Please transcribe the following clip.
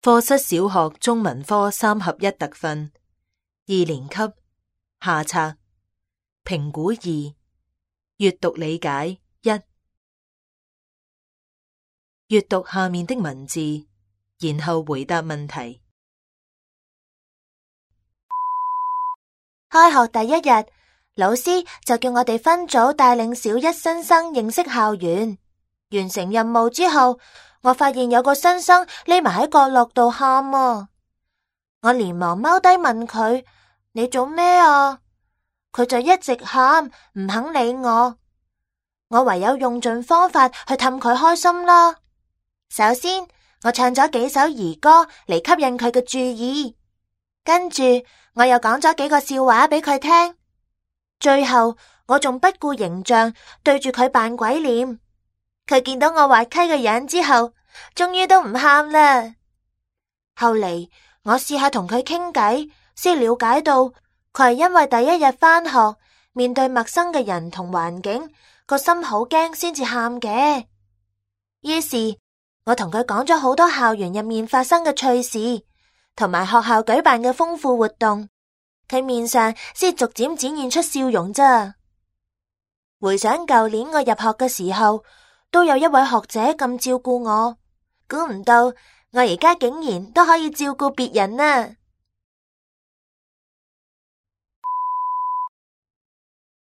課室小學中文科3合1特訓2年級下冊評估2閱讀理解1閱讀下面的文字，然後回答問題。開學第一日，老師就叫我哋分組帶領小一新生認識校園。完成任務之後，我發現有個新生匿埋喺角落度喊啊！我連忙踎低問佢：你做咩啊？佢就一直喊，唔肯理我。我唯有用盡方法去氹佢開心啦。首先，我唱咗幾首兒歌嚟吸引佢嘅注意，跟住我又講咗幾個笑話俾佢聽。最後，我仲不顧形象對住佢扮鬼臉。佢見到我滑稽嘅樣之後，終於都唔喊啦。後嚟我試下同佢傾偈，先了解到佢係因為第一日返學，面對陌生嘅人同環境，個心好驚先至喊嘅。於是我同佢講咗好多校園入面發生嘅趣事，同埋學校舉辦嘅豐富活動，佢面上先逐漸展現出笑容咋。回想舊年我入學嘅時候，都有一位學姐咁照顧我，估唔到我而家竟然都可以照顧別人啊！